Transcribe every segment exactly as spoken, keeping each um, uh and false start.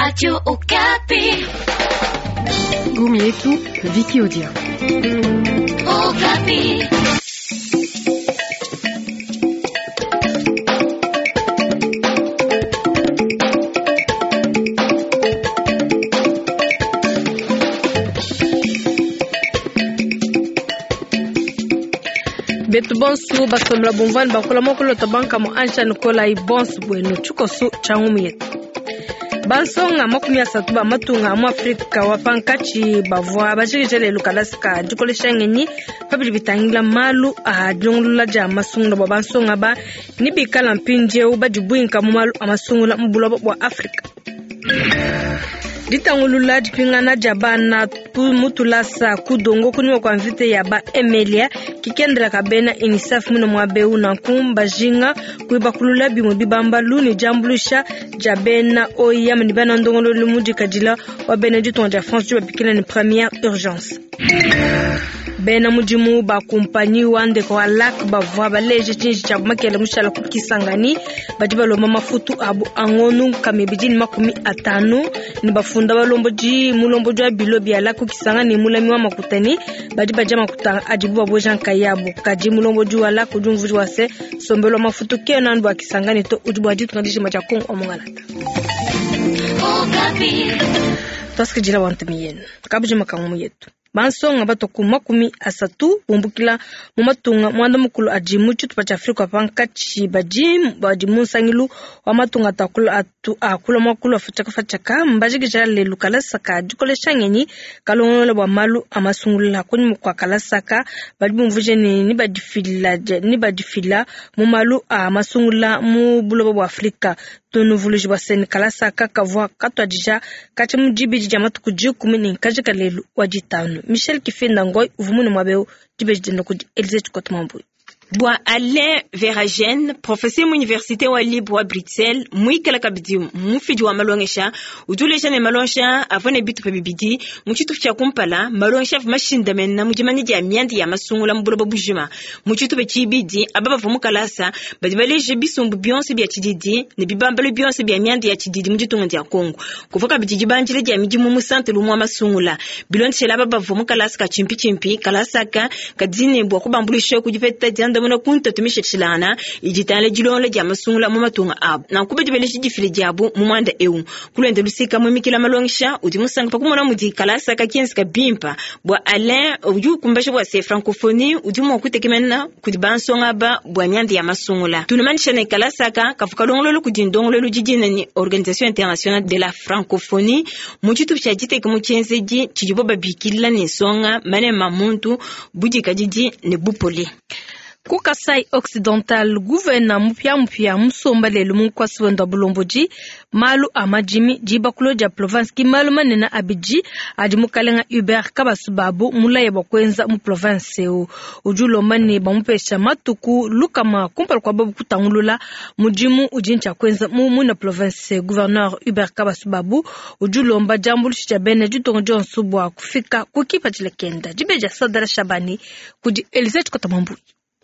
Radio Okapi. Gumi yetu Viki Odia. Okapi. Betu bonsu basomela bumvani bakola mokolo tabanka mo ansha nikola ibonsu bwenu tshikosu tsha ngumu yetu. Bansonga makumi asatu ba matunga mu Afrika wa pankatshi bavua bajikija lelu kalasa ka dikolesha ngenyi pabidi bitangila malu a dilongolola dia masungula bua bansonga ba ni bikala mpindieu badibuinka mu malu a masungula mu buloba bua Afrika. Ditangulula dipingana dia bana mu tulasa kudongo kunyima kua mvita ya ba Emelia kikendela ka bena UNICEF muno muaba eu nanku bajinga kuibakulula bimue bibambalu ne diambuluisha dia bena O I M ne bena ndongoluelu mudikadila wa bena ditunga dia France udi babikila ne première urgence. Bena mudimu ba kumpanyi wa ndeko wa LAC bavua baleje tshinji tshia makele mushala ku Kisangani badi balomba mafutu abu angonu nkama ibidi ne makumi atanu ne bafunda balombodi mulombodi wa bilo bia LAC ku Kisangani mulami wa makutani badi badia makuta adibu babueja nkayabu kadi mulombodi wa LAC udi umvuija wa se sombelo wa mafutu kena anu bua Kisangani to udi bua ditunga dijima dia Kongo wa Mongalata. Twasikidila wantumi yenu kabujima kangumu yetu. Bansonga batoku makumi asatu bumbukila mu matunga mwanda mukulu adi mu tshitupa tshia Afrika pankatshi badi badi mu nsangilu wa matunga atakula atu akula mwakulu afatshaka fatshaka mbajikija lelu kalasa ka dikolesha ngenyi kalongolola bua malu a masungula kunyima kua kalasa ka badi bumvuje ne ni badifila ni badifila mu malu a masungula mu buloba bua Afrika. Tunuvuluji bua seni kalasa ka kavua katuadija katshia mu dibidi dia matuku dikumi ne nkajika lelu wa ditanu. Michel Kifenda Ngoy uvumune muaba eu dibeji dienda kudi Elise Tshikota Mambuyi. Bua Alain Verhaegen, professeur mu université wa libre wa Bruxelles, muikala kabidi mufidi wa malongesha, udi uleja ne malongesha avua ne bitupa bibidi mu tshitupa tshia kumpala, malongesha avua mashindamena mu dimanya dia mianda ya masungula mu buloba bujima. Mu tshitupa tshibidi, aba bavua mu kalasa badi baleje bisumbu bionso bia tshididi ne bibambalu bionso bia mianda ya tshididi mu ditunga dia Kongo. Kuvua kabidi dibanjila dia midimu mu santre lumwe wa masungula. Bilondeshela aba bavua mu kalasa ka tshimpi-tshimpi, kalasa ka kadi ne bua kubambuluisha ku dipeta dianda mona kunta tumisha tshilana iditala dilonga dia masungula mu matunga abo nanku badi baleje difile diabo mu mwanda eu kulwenda lusika mwimikila malongesha udi musanga pakumona mudi kalasa ka kenzi ka bimpa bua Alain udi ukumbasha bua se francophonie udi mua kutekemena kudi bansonga aba bua mianda ya masungula tunumanisha ne kalasa ka kavu kalongololo kudi ndongololo didina ni Organisation Internationale de la Francophonie mu tshitupa tshia diteka mu tshienzedi tshidibo babikila ne nsonga manema muntu budikadidi ne bupole. Ku Kasai Occidental, gouverneur mupia mupia musomba lelu mu nkwasi wenda bulombodi malu a madimi dibakulo dia province ki malu manene abidi adi mukalenga Hubert Kabasubabu mulaye bua kuenza mu province eu udi ulomba ne bamupesha matuku lukama kumpala kua babu kutangulula mudimu udi ntshia kuenza mu muina province. Gouverneur Hubert Kabasubabu udi ulomba diambuluisha dia bena ditunga dionso bua kufika ku kipatshila kenda. Dibeji dia Sadala Shabani kudi Elise Tshikota Mambuyi.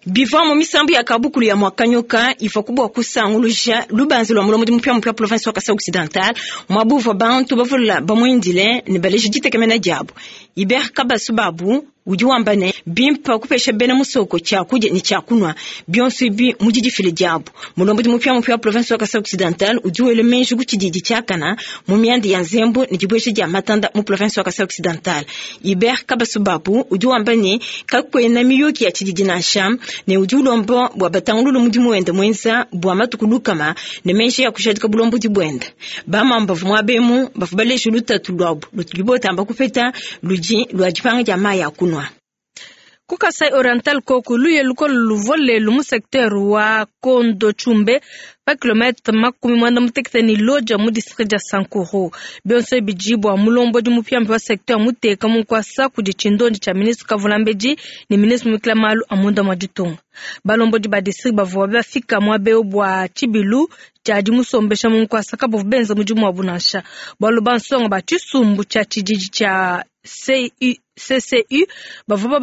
Bivua mu misambu ya kabukulu ya mwakanyoka ifa kubwa kusanguluja lubanza lwa mulomo mupya mupya province wa Kasai Occidental mwabuva bantu bavula bamwindile ne baleje ditekemena diabo. Hubert Kabasubabu udi wamba ne bimpa kupesha bena musoko tshia kudia ne tshia kunwa bionso ibi mu didifile diabo. Mulombodi mupya mupya province wa Kasai Occidental udi wele menji ku tshididi tshiakana mu mianda ya nzembo ne dibuesha dia matanda mu province wa Kasai Occidental. Hubert Kabasubabu udi wamba ne kakwena miyuki ya tshididi nansha ne udi ulomba bua batangululu mudimu wende mwenza bua matuku lukama ne menji ya kushadika bulombodi buende. Bamamba muabemu bafu baleje lutatu lwabo lutudi kupeta ludi lwa dipanga dia mayi a kunwa. Ku Kasai Oriental koku luye lukolo luvua lelu mu secteur wa Kondo Chumbe pa kilomètre makumi mwanda mutekete ni loja mu district dia Sankuru. Bionso bidi bua mulombodi mupia wa secteur muteka mu nkwasa kudi tshindondi tshia ministre Kavulambedi ne ministre mukila malu a munda mua ditunga. Balombodi ba district bavua bafika muaba eu bua tshibilu tshia dimusombesha mu nkwasa kabavua benza mudimu wabu nansha. Bualu bansonga ba tshisumbu tshia tshididi tshia C U C C U bavua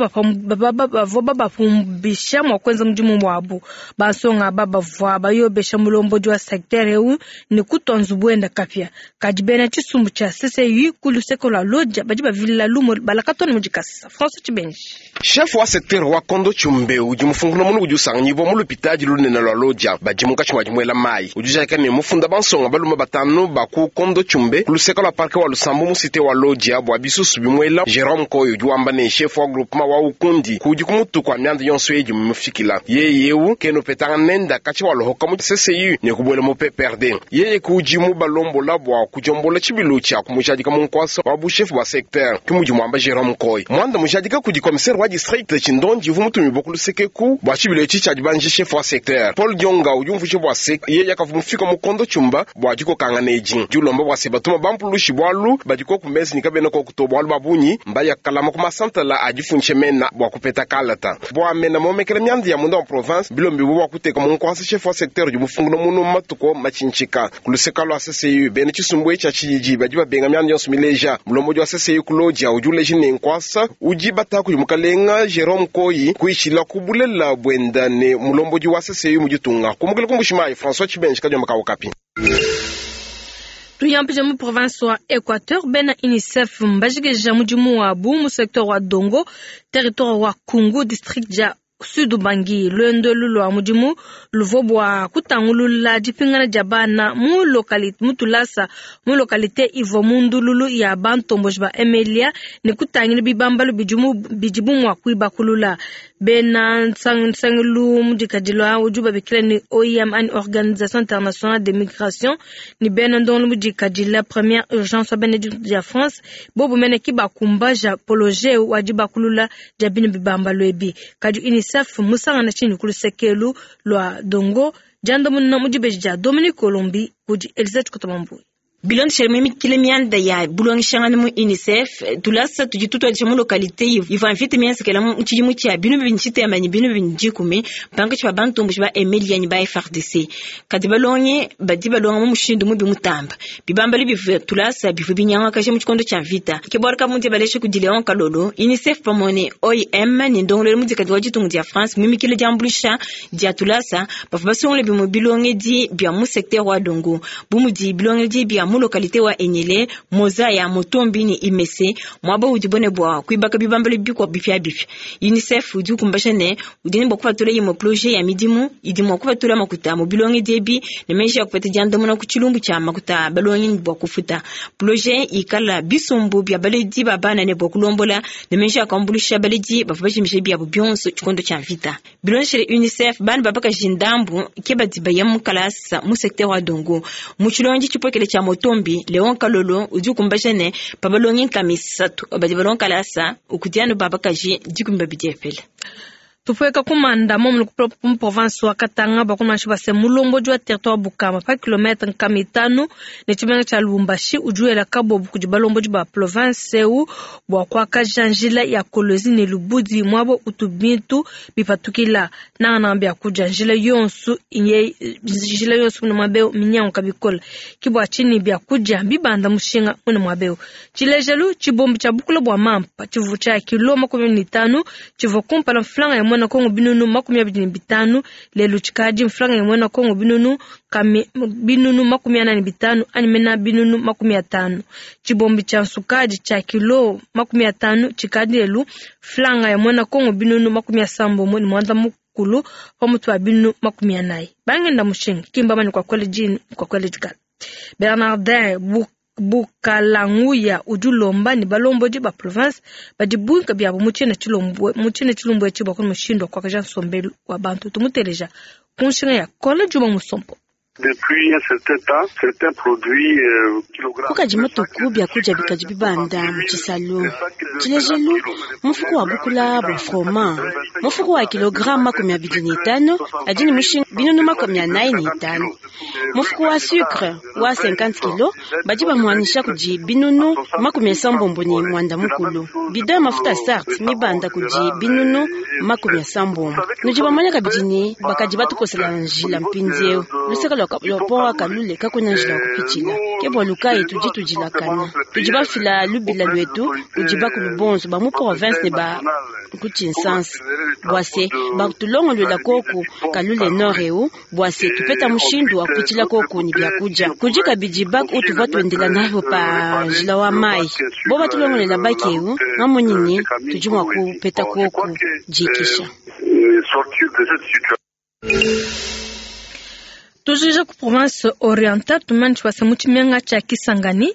babapumbisha mua kuenza mudimu wabu. Bansonga aba bavua bayobesha mulombodi wa secteur eu ne kutua nzubu wenda kapia. Kadi bena tshisumbu tshia C C U ku luseke lua Lodja badi bavilila lumu balakatona mu dikasa. François Tshibenji. Chef wa secteur wa Kondo Tshumbe udi mufungula munu udi usanganyibwa mu lupitadi lunene lua Lodja badi munkatshi mua dimuela mayi. Udi ujadika ne mufunda bansonga balume batanu ba ku Kondo Tshumbe ku luseke lua parke wa Lusambo mu cité wa Lodja bua bisusu bimuela. Jerome Koyo udi wamba ne chef wa groupement wa Ukundi kudi kumutu kwa mianda yonso edi mufikila. Yeye eu keno petanga nenda katshi wa lohoka mu C C U ne kubuela mu P P R D. Yeye kudi mu balombola bua kujombola tshibilu tshia kumujadika mu nkwasa wa bu chef wa secteur. Kimudi mwamba Jerome Koyo. Mwanda mujadika kudi commissaire wa district Tshindonji uvu mutumi bua kuluseke ku bua tshibilu etshi tshia dibanje chef wa secteur. Paul Dionga udi umvuija bua se yeye akavu mufika mu Kondo Tshumba bua dikokangana edi. Diulomba bua se batuma bampulushi bwalu badiko ku mezi nikabena ko kuto bwalu babunyi mbaya kalama ku masantala adifunshe mena bua kupeta kalata. Bua mena momekela myandi ya munda wa province bilombi bua kuteka mu nkwasa chef wa secteur udi mufungula munu matuko machinchika. Kuluseka lwa C C U bene tshisumbu etshi tshiji badi babenga myandi yonso mileja. Mulombodi wa C C U ku Lodja udi uleja ne nkwasa udi bata kudi mukalenga Jerome Koyi kuishila kubulela bwenda ne mulombodi wa C C U muditunga. Kumukela kumbushimayi François Tshibenji kadiomba ka Okapi. Tuyampije mu province wa Equateur bena UNICEF mbajikeja mudimu wabu mu secteur wa Dongo territoire wa Kungu district ja Sud Ubangi. Lwendo lulwa mudimu luvua bua kutangulula dipingana dia bana mu localité mu tulasa mu localité ivua mu ndululu ya bantomboji ba Emilia ne kutangila bibambalu bidimu bidibu mua kuibakulula. Bena nsangilu mudikadilo udi babikila ni O I M ani Organisation Internationale de Migration ni bena ndongolo mudikadila première urgence wa bena ya France bobu mene ki bakumbaja poloje wa dibakulula dia bino bibambalu ebi. Kadi UNICEF musangana chini kulusekelu lwa Dongo jando munna mudibeji ja Dominique Colombi kudi Elisabeth Kotomambu. Bilondeshele mimikile mianda ya bulongeshangana mu UNICEF tulasa tudi tutwadisha mu localité ivua mvita mienzekela mu tshidimu tshia binu bibidi tshitema ne binu bibidi dikumi pankatshi pa bantomboji ba Emilia ne ba F R D C. Kadi balongi badi balonga mu mushindu mubi mutamba bibambalu bivua tulasa bivua binyangakaja mu tshikondo tshia mvita. Ke bualu kabundi balesha kudi Leon Kalolo UNICEF pamue ne O I M ne ndongoluelu mudikadi wa ditunga dia France mimikile diambuluisha dia tulasa bavua basungula bimue bilongedi bia mu secteur wa Dongo bu mudi bilongedi bia mu localité wa Enyele, Mozaya, Motombi ni Imese, mwaba udi bone bwa kuibaka bibambalo bikwa bipya bipya. UNICEF udi ukumbasha ne udi ne bwa kupatula imwe projet ya midimu idi mwa kupatula makuta mu bilonge diebi ne meji ya kupeta diandamuna ku tshilumbu tshia makuta balongi ne bwa kufuta. Projet ikala bisumbu bya baledi ba bana ne bwa kulombola ne meji ya kuambulisha baledi bavua bajimisha byabo byonso tshikondo tshia mvita. Bilonshele UNICEF bana babaka jindambu ke badi baya mu kalasa mu secteur wa Dongo. Mu tshilongi tshipokele tshia Motombi Leon Kalolo udi ukumbasha ne pabalongi nkamisatu badi balonga kalasa ukudiano babakaji dikumi babidi epele. Tupweka kumanda momu mu province wa Katanga bakumashi base mulombodi wa territoire Bukama pa kilometre nkama itanu ne tshimenga tshia Lubumbashi ujuela kabobu kudi balombodi ba province eu bua kuakaja njila ya Kolwezi ne Lubudi mwabo utu bintu bipatukila nangananga bia kudia njila yonsu inye njila yonsu mune mwabeo minyango kabikola kibwa chini bia kudia bibanda mushinga mune mwabeo. Tshilejelu tshibombi tshia bukula bua mampa tshivu tshia kilo makumi mitanu tshivu kumpala mflanga ya mwana Kongo binunu makumi abidi na bitanu lelo tshikadi mflanga ya mwana Kongo binunu kami binunu makumi ana na bitanu ani mena binunu makumi atano. Tshibombi tshia nsukadi tshia kilo makumi atano tshikadi lelo flanga ya mwana Kongo binunu makumi asambo ni mwanda mukulu pamutu wa binunu makumi anayi. Bangenda mushinga kimba mani kwa kweli jini kwa kweli jikala. Bernardin Buk Bukalanguya udi ulomba ni balombodi ba province badi bunka byabo mu tshina tshilombwe mu tshina tshilumbwe etshi bua mushindu wa kuakaja nsombelu wa bantu tumuteleja ku nshinga ya Kola Juma Musompo. Depuis un certain temps, certains produits euh, kilogrammes. Kukaji matuku byakudia bikadi bibanda mu tshisalu. Tshilejelu mufuku wa bukula bua froma mufuku wa kilogramme makumi abidi ne itanu adi ne mushinga binunu makumi anayi ne itanu. Mufuku wa sucre wa cinquante kilo badi bamuanisha kudi binunu makumi asambombo ne mwanda mukulu. Bidon ya mafuta sart mibanda kudi binunu makumi asambombo. Nudi bamanya kabidi ne bakadi batukosela njila mpindieu. Luseka lwa pont wa kalule kakuna njila wa kupitshila. Ke bwalu kayi tudi tudilakana. Tudi bafila lubila lwetu kudi bakulu bonso ba mu province ne ba ku Tshinsansa. Bwa se batulongoluela koku kalule nord eu bwa se tupeta mushindu wa kupitshila koku ni byakudia. Kudi kabidi bak utuvua tuendela nabo pa njila wa mai. Bo batulongolela bak eu ngamonyi ne tudi mua kupeta koku dikisha. Tujija ku province orientale tumani tshipasa mu tshimenga tshia Kisangani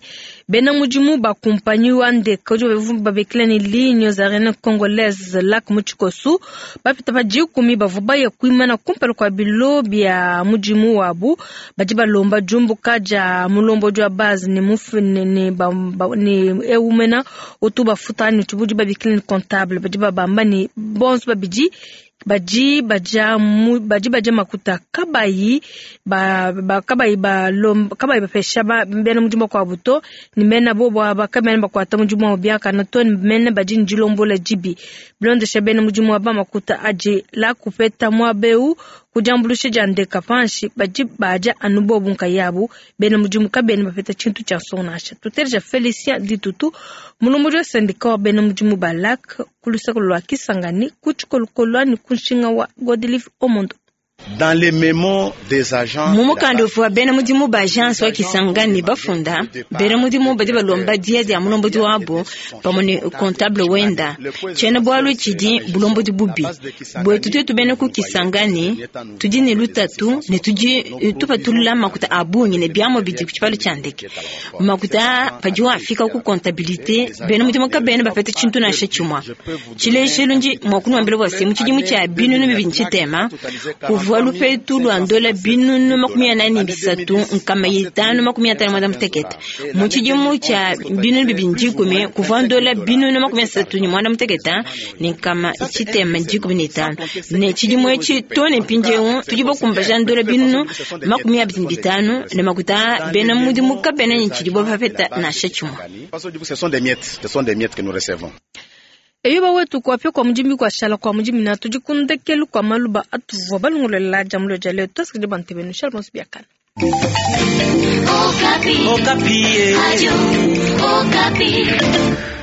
bena mudimu ba kumpanyi wa ndeke udi babikila ne Lignes Aériennes Congolaises LAC mu tshikosu bapita pa dikumi bavua baya kuimana kumpala kua bilo bia mudimu wabu badi balomba diumbuka dia mulombodi wa base ne mufu ne ne ba, ba, ne eumena utu bafuta ne tshibudi babikila ne comptable badi babamba ne bonso babidi badi baja mu badi baja makuta kabayi ba, ba kabayi ba lomba kabayi bapesha ba bena mudimu kwa buto ni mena bobo aba kabena bakwata mudimu wa biakana to ni mena badi ndilombola jibi bilondesha bena mudimu wa ba makuta aje la kupeta mwabeu kujambulusha ja ndeka panshi badi baja anu bobu nkayabu bena mudimu kabena bapeta tshintu tshia nsonasha tutereja Felicien Ditutu mulomboji wa sendika wa bena mudimu ba LAC kulusaka lwa Kisangani kutshikolokolo ni kunshinga wa Godelive Omondo. Dans les mémos des agents mu mukanda uvua bena mudimu ba agence wa Kisangani bafunda bena mudimu badi balomba dia dia mulombodi wabo pamue ne comptable wenda tshiena bualu tshidi bulombodi bubi bwetu twetu bena ku Kisangani tudi ne lutatu ne tudi tupatulula makuta a bungi ne biamua bidi ku tshipalu tshia ndeke makuta padi wafika ku comptabilité bena mudimu kabena bapeta tshintu nansha tshimua tshilejelu ndi mua kunuambila bua se mu tshidimu tshia binunu bibidi tshitema kuvua lupetu lwa ndola binunu makumi anani bisatu nkama itanu makumi atanu mwanda mutekete mu tshidimu tshia binunu bibidi dikumi kuvua ndola binunu makumi asatu ne mwanda mutekete ne nkama tshitema dikumi ne itanu ne tshidimu etshi to ne mpindieu tudi bakumbaja ndola binunu makumi abidi ne bitanu ne makuta bena mudimu kabena ne tshidibo bapeta nansha tshimue. Ce sont des miettes, ce sont des miettes que nous recevons. Eyuba wetu kuapya kwa mujimi kwa shala kwa mujimi na tudi kundekelu kwa maluba atuvua balongolela jamulo jale tosikidi bantebenu shala bonso biakana. Okapi. Okapi. Radio Okapi.